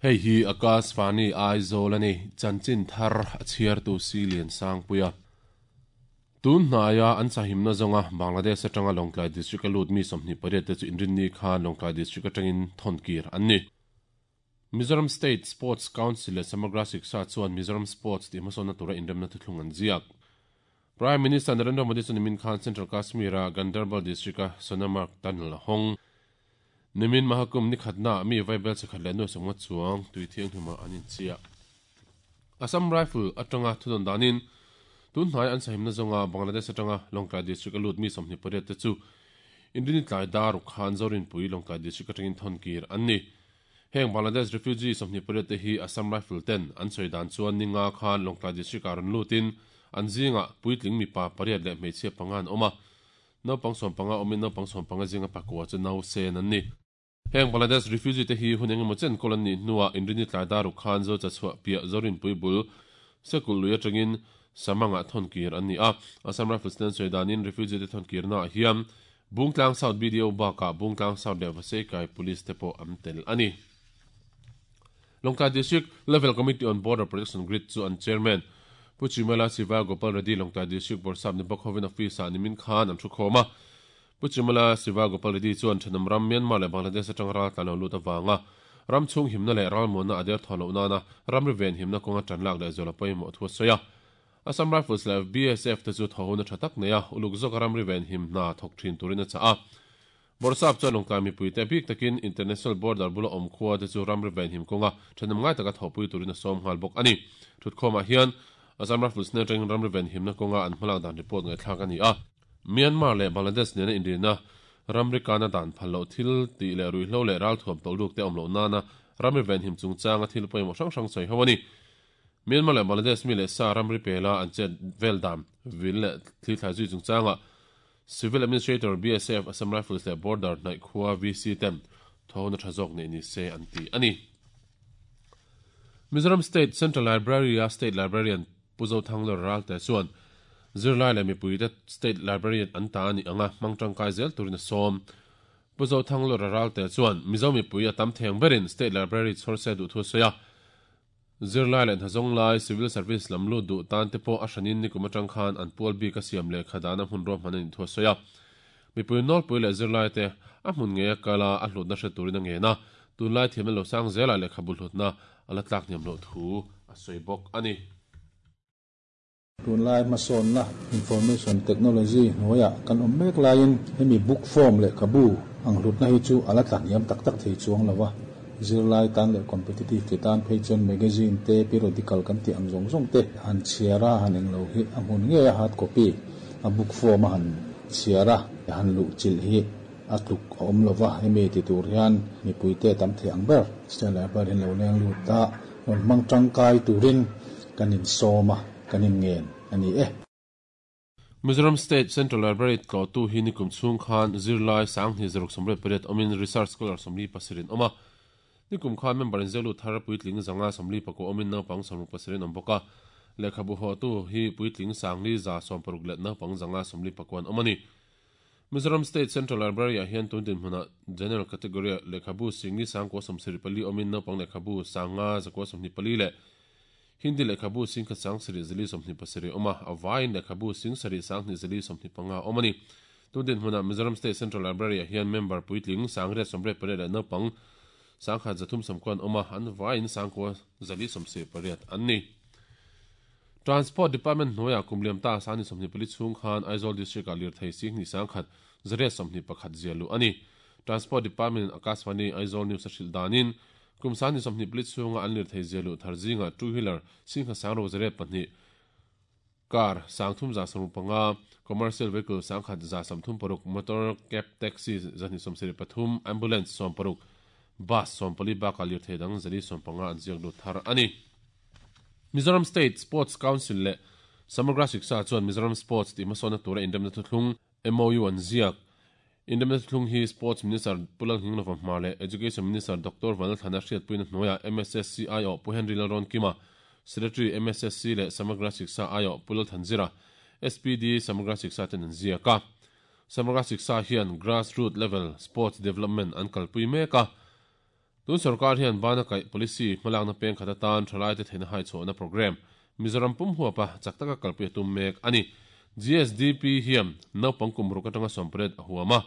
Hei hi Akashvani Aizawl a ni, chanchin thar a chhiartu Si Liansangpuia. Tun hnaia an sahimna zawnga Bangladesh atanga Lawngtlai District a lut mi 28 te chu Inrinni khan Lawngtlai District atangin thawn kir an ni. Mizoram State Sports Council leh Samagra Shiksha chuan Mizoram Sports tih hmasawnna tura inremna thuthlung an ziak. Prime Minister Narendra Modi chu nimin khan Central Kashmir-a Ganderbal District-a Sonamarg Tunnel a hawng. Nimin Mahakumbh ni khatnaah mi vaibel chhe khat leh nuai sawmnga chuang tui thianghlimah an inchiah. Assam Rifle atanga thudawn danin tun hnai an sahimna zawnga Bangladesh atanga Lawngtlai District a lut mi 28 te chu Inrini tlai dar ruk khan Zorinpui Lawngtlai District atangin thawn kir an ni. Heng Bangladesh refugee 28 te hi Assam Rifle ten an sawi dan chuan ni nga khan Lawngtlai District ah rawn lutin an zingah puitling mipa pariat leh hmeichhia panga an awm a, naupang sawmpanga awmin naupang sawmpanga zinga pakua chu nausen an ni. Heng Bangladesh refugee te hi hun engemaw chen kawl an nih hnuah Inrini tlai dar ruk khan Zocha chhuah piah Zorinpui bul Sekul lui atangin Samangah thawn kir an ni a, Assam Rifles ten an sawi danin refugee te thawn kirnaah hian Bungtlang South BDO bakah Bungtlang South leh Vaseikai Police te pawh an tel a ni. Lawngtlai District Level Committee on Border Protection Grid chu an Chairman Pu Chimela Siva Gopal Reddy Lawngtlai District Bawrhsap ni bawk hovin office-ah nimin khan an thukhawm a. Pu Chimela Siva Gopal Reddy chuan thenawm ram Myanmar leh Bangladesh atanga ral tlan lo lut avanga ram chhung himna leh ralmuanna a derthawn loh nana ramri venhimna kawnga tan lak leh zual a pawimawh thu a sawi a. Assam Rifles leh BSF te chu thawhuna tha tak nei a, uluk zawka ramri venhim hna thawk thin turin a chah a. Bawrhsap chuan Lawngtlai mipuite bik takin International Border bula awm khua te chu ramri venhim kawnga thenawm ngai taka thawhpui turin a sawm nghal bawk a ni. Thutkhawmah hian Assam Rifles hnen atangin ramri venhimna kawnga an hmalak dan report ngaihthlak a ni a. Myanmar leh Bangladesh nena inrina ramri kana dan phal loh thil tih leh ruihhlo leh ralthuam tawlh ruk te awm loh nana ramri venhim chungchanga thil pawimawh hrang hrang sawi ho a ni. Myanmar leh Bangladesh mi leh sa ramri pela an chet vel dan vil leh thli thlai zui chungchangah Civil Administrator, BSF, Assam Rifles leh Border hnaih khua VC ten thawhna tha zawk neih ni se an ti a ni. Mizoram State Central Library-a State Librarian Pu Zothanglawr Ralte chuan zirlai leh mipuite State Librarian an ta a nih anga hmang tangkai zel turin a sawm. Pu Zothanglawr Ralte chuan Mizo mipui a tam theng berin State Library chhawr se duh thu a sawi a. Zirlai leh hnazawng lai, civil service lam lut duh tan te pawh a hranin nikum atang khan an pual bik a siam lehkha dahna hmun ruahman a nih thu a sawi a. Mipui nawlpui leh zirlai te a hmun ngei a kal a, a hlutna hre turin a ngen a, tunlai thiamna lo sang zelah lehkhabu hlutna a la tlak hniam loh thu a sawi bawk a ni. Tunlai hmasawnna Information Technology hnuaiah kan awm mek laiin hemi book form lehkhabu ang hlutna hi chu a la tla hniam tak tak thei chuang lo a. Zirlai tan leh competitive ti tan phei chuan magazine te, periodical kan tih ang zawng zawng te han chhiar a, han englo hi a hmun ngei a hard copy a book form a han chhiar a, han luh chilh hi a tluk a awm lo va. Hemi ti tur hian mipuite tam thei ang ber State Library in lo leng lut a, rawn hmang tangkai turin kan insawm a, kan inngen a ni e. Mizoram State Central Library tlawhtu hi nikum chhung khan zirlai sanghnih zaruk sawmriat pariat awmin Research Scholar 47 in awm a. Nikum khan member inziaklut thar puitling zanga 44 awmin naupang 67 in awm bawk a. Lehkhabu hawhtu hi puitling sangli za sawmparuk leh naupang zanga 44 an awm a ni. Mizoram State Central Library-ah hian tun dinhmunah General Category-ah lehkhabu singli sangkua sawmsarih pali awmin naupang lehkhabu sanga zakua sawmhnih pali leh Hindi lehkhabu singkhat sangsarih zali sawmhnih pasarih awm a, a vaiin lehkhabu singsarih sanghnih zali sawmhnih panga awm a ni. Tun dinhmunah Mizoram State Central Library-ah hian member puitling sangriat sawmriat pariat leh naupang sangkhat zathum sawmkua an awm a, an vaiin sangkua zali sawmsarih pariat an ni. Transport Department hnuaiah kum liam ta sani 24 chhung khan Aizawl District-ah lirthei singhnih sangkhat zariat 21 zia luh a ni. Transport Department-in Akashvani Aizawl News a hrilh danin kum sani 24 chhunga an lirthei zia luh thar zingah two wheeler singkhat sangro zariat pahnih, car sangthum za sawmruk panga, commercial vehicle sangkhat za sawmthum paruk, motor cab taxi zahnih sawmsarih pathum, ambulance sawmparuk, bus sawmpali bakah lirthei dang zali sawmpanga an ziak lut thar a ni. Mizoram State Sports Council leh Samagra Shiksha chuan Mizoram Sports tih hmasawnna tura inremna thuthlung, MOU, an ziak. Inremna thuthlung hi Sports Minister Pu Lalnghinglova Hmar leh Education Minister Doctor Vanlalthlana hriatpuina hnuaiah MSSC aiawh Pu Henry Lalrawnkima, Secretary MSSC leh Samagra Shiksha aiawh Pu Lalthanzira, SPD Samagra Shiksha ten an ziak a. Samagra Shiksha hian grassroot level sports development an kalpui mek a. Tun sorkar hian bana kaih policy hmalakna peng khat atan thalaite theihna hai chhuahna programme Mizoram pum huapa chak taka kalpui a tum mek a ni. GSDP hian naupang kum ruk atanga sawmpariat a huam a.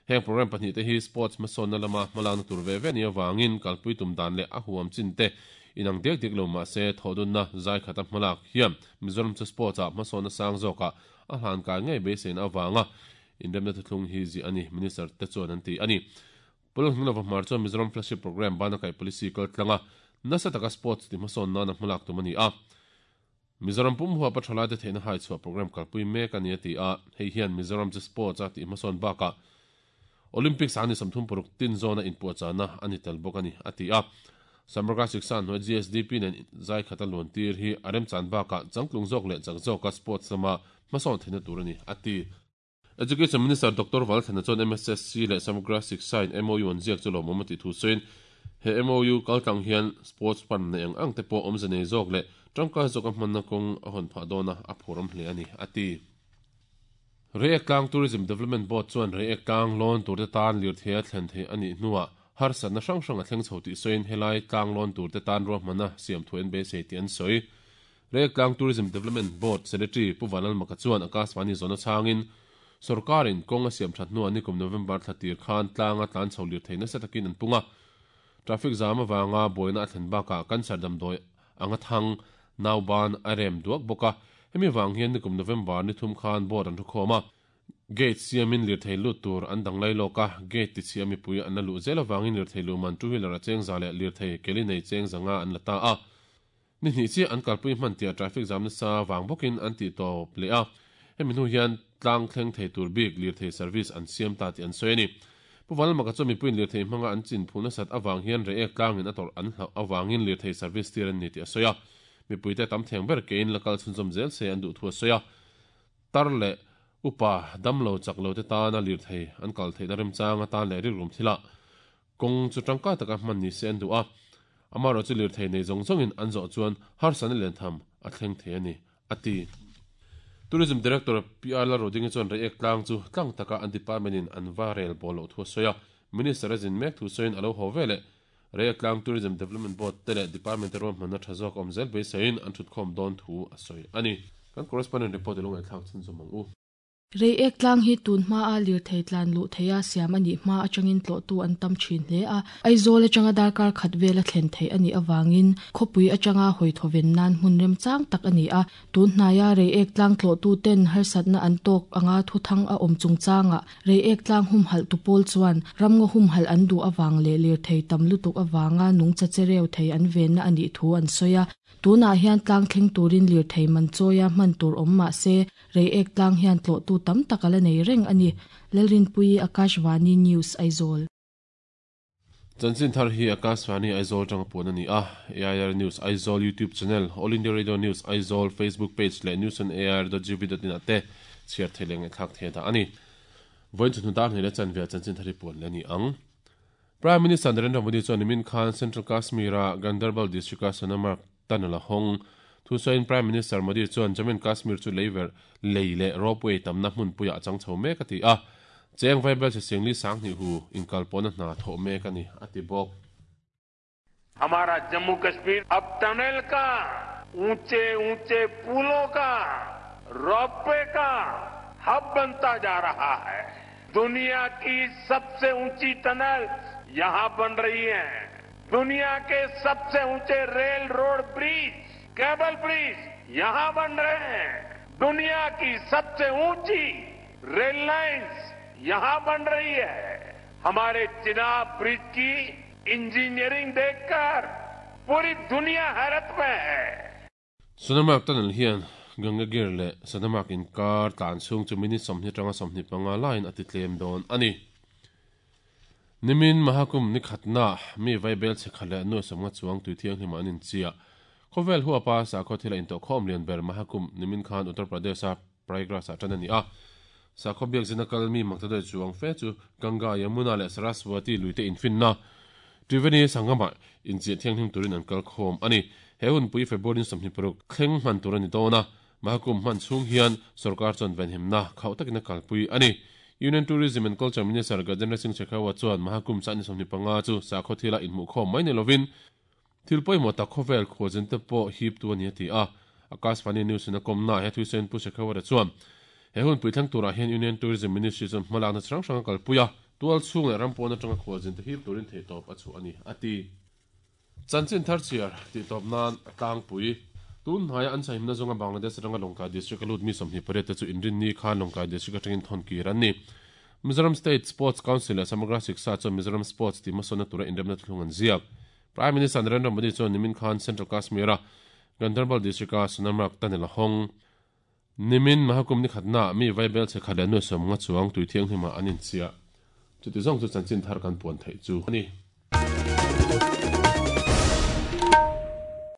Heng programme pahnihte hi sports hmasawnna lama hmalakna tur ve ve nih avangin kalpui tum dan leh a huam chin te inang diak diak lo mah se thawhdunna zai khata hmalak hian Mizoram chu sports ah hmasawnna sang zawkah a hlan kai ngei beiseina avanga inremna thuthlung hi ziah a ni, Minister te chuan an ti a ni. Pawlh Hnilova Hmar chuan Mizoram Flagship Programme bana kaih policy kal tlanga nasa taka sports ti hmasawn nana hmalak tum a ni a. Mizoram pum huapa thalaite theihna hai chhuah programme kalpui mek a ni a ti a, hei hian Mizoram chu sports a tih hmasawn bakah Olympics ah ni 36 tin zawna inpuahchahna a ni tel bawk a ni a ti a. Samagra Shiksha hnuai GSDP nen zai khata luan tir hi a remchan bakah changtlung zawk leh chak zawka sports lama hmasawn theihna tur a ni a ti. Education Minister Doctor Valthana chuan MSSC leh Samagra Shiksha in MOU an ziak chu lawmawm a tih thu sawiin, he MOU kaltlang hian sports fund nei ang ang te pawh awmze nei zawk leh tangkai zawka hmanna kawng a hawn phah dawn a, a phurawm hle a ni, a ti. Reiek Tlang Tourism Development Board chuan Reiek Tlang lawn turte tan lirthei a thlen theih a nih hnuah harsatna hrang hrang a thleng chho tih sawiin helai tlang lawn turte tan ruahmanna siam thu an beisei tih an sawi. Reiek Tourism Development Board Secretary Pu Vanlalmaka chuan Akashvani zawhna chhangin, Sawrkarin kawng a siam that hnuah nikum November thla tir khan tlanga tlan chho lirthei nasa takin an pung a. Traffic zam avanga buaina a thlen bakah cancer damdawi anga thang, nauban, a rem duak bawk a. Hemi vang hian nikum November ni thum khan board an thu khawm a. Gate siamin lirthei lut tur an dang lai lawk a, gate tichhia mipui an la luh zel avangin lirthei luhman two wheeler a chengza leh lirthei keli nei chengza nga an la ta a. Ni hnih chiah an kalpui hman tia traffic jam nasa vang bawkin an tih tawp leh a, hemi hnu hian tlang thleng thei tur bik lirthei service an siam ta tih an sawi a ni. Pu Vanlalmaka chuan mipuiin lirthei hmanga an chin phul nasat avang hian reiek tlangin a tawrh an hlauh avangin lirthei service tir an ni tih a sawi a, mipuite tam theng ber kein la kal chhunzawm zel se an duh thu a sawi a. Tar leh upa damlo chak lo te tana lirthei an kal theihna remchang atan leh rikrum thilah Kawng chu tangkai taka hman ni se an duh a, amaherawh chu lirthei nei zawng zawngin an zawh chuan harsatna len tham a thleng thei a ni, a ti. Tourism Director PR Lalrodingi chuan Reiek tlang chu tlang taka an department in an va rel bawl loh thu a sawi a, Minister a zin mek thu sawiin a lo haw veleh Reiek tlang Tourism Development Board te leh department te ruahmanna tha zawk awm zel beiseiin an thutkhawm dawn thu a sawi a ni. Kan correspondent report i lo ngaihthlak chhunzawm ang u. Reiek tlang hi tun hmaa lirthei tlan luh theiha siam a nih hma atangin tlawhtu an tam thin hle a. Aizawl atanga darkar khat vela thlen theih a nih avangin khawpui atanga hawi thawven nan hmun remchang tak a ni a. Tun hnaia Reiek tlang tlawhtu ten harsatna an tawk anga thuthang a awm chungchangah Reiek tlang humhalh tu pawl chuan ramngaw humhalh an duh avang leh lirthei tam lutuk avanga nungcha chereu thei an venna a nih thu an sawi a. Tunah hian tlang thleng turin lirthei man chawia hman tur awm mah se, Reiek tlang hian tlawhtu tam tak a la nei reng a ni. Lalrinpuii Akashvani News, Aizawl. Chanchin thar hi Akashvani Aizawl atanga puan a ni a, AIR News Aizawl YouTube channel, All India Radio News Aizawl Facebook page leh newsonair.gov.in ah te chhiar thei leh ngaihthlak thei a dah a ni. Vawiin chawhnu dar hnih leh chanve ah chanchin thar hi puan leh a ni ang. Prime Minister Narendra Modi chuan nimin khan Central Kashmir-a Ganderbal District-a Sonamarg tunnel a hawng. Thusawiin Prime Minister Modi chuan Jammu and Kashmir chu leiverh, lei leh ropeway tamna hmunpuiah a chang chho mek a ti a. Cheng vaibel chhe singli sanghnih hu inkalpawhna hna thawh mek a ni, a ti bawk. हमारा जम्मू कश्मीर अब tunnel का ऊंचे ऊंचे पुलों का ropeway का हब बनता जा रहा है दुनिया की सबसे ऊंची टनल यहां बन रही है दुनिया के सबसे ऊंचे rail road bridge cable bridge यहां बन रहे हैं दुनिया की सबसे ऊंची रेल लाइन्स यहां बन रही है हमारे चिनाब ब्रिज की इंजीनियरिंग देखकर पूरी दुनिया हैरत में है Sonamarg tunnel hian Gangagir leh Sonamarg inkar tlan chhung chu minute 20 atanga 25 laiin a ti tlem dawn a ni. Nimin Mahakumbh ni khatna mi vaibel chhe khat leh nuai sawmnga chuang tui thianghlim ah an inchiah. Khawvel huapa sakhaw thil a intawhkhawm lian ber Mahakumbh nimin khan Uttar Pradesh-a Prayagraj ah tan a ni a. Sakhaw biakzina kal mi makta chuang fe chu Ganga, Yamuna leh Saraswati lui te infinna Triveni Sangam-ah inchiah thianghlim turin an kal khawm a ni. He hunpui February 26 thleng hman tur a ni dawn a. Mahakumbh hman chhung hian sorkar chuan venhimna khauh takin a kalpui a ni. Union Tourism and Culture Minister Gajendra Singh Shekhawat chuan Mahakumbh chah ni 25 chu sakhaw thila inhmuhkhawm mai ni lovin thil pawimawh tak khawvel khualzinte pawh hiptu a ni a ti a. Akashvani News in a kawmna he thuisawiin Pu Shekhawat-a chuan he hun puithleng turah hian Union Tourism Ministry chuan hmalakna chi hrang hrang a kalpui a, tual chhung leh ram pawn atanga khualzinte hip turin theihtawp a chhuah a ni a ti. Chanchin thar chhiar tih tawp nan a tlangpui. Tun hnaia an chahimna zawnga Bangladesh atanga Lawngtlai District a lut mi 28 te chu Inrinni khan Lawngtlai District atangin thawn kir an ni. Mizoram State Sports Council leh Samagra Shiksha chuan Mizoram Sports tih hmasawnna tura inremna thuthlung an ziak. Prime Minister Narendra Modi chuan nimin khan Central Kashmir-a Ganderbal District-a Sonamarg tunnel a hawng. Nimin Mahakumbh ni khatnaah mi vaibel chhe khat leh nuai 50 chuang tui thianghlimah an inchiah. Chuti zawng chu chanchin thar kan puan theih chu a ni.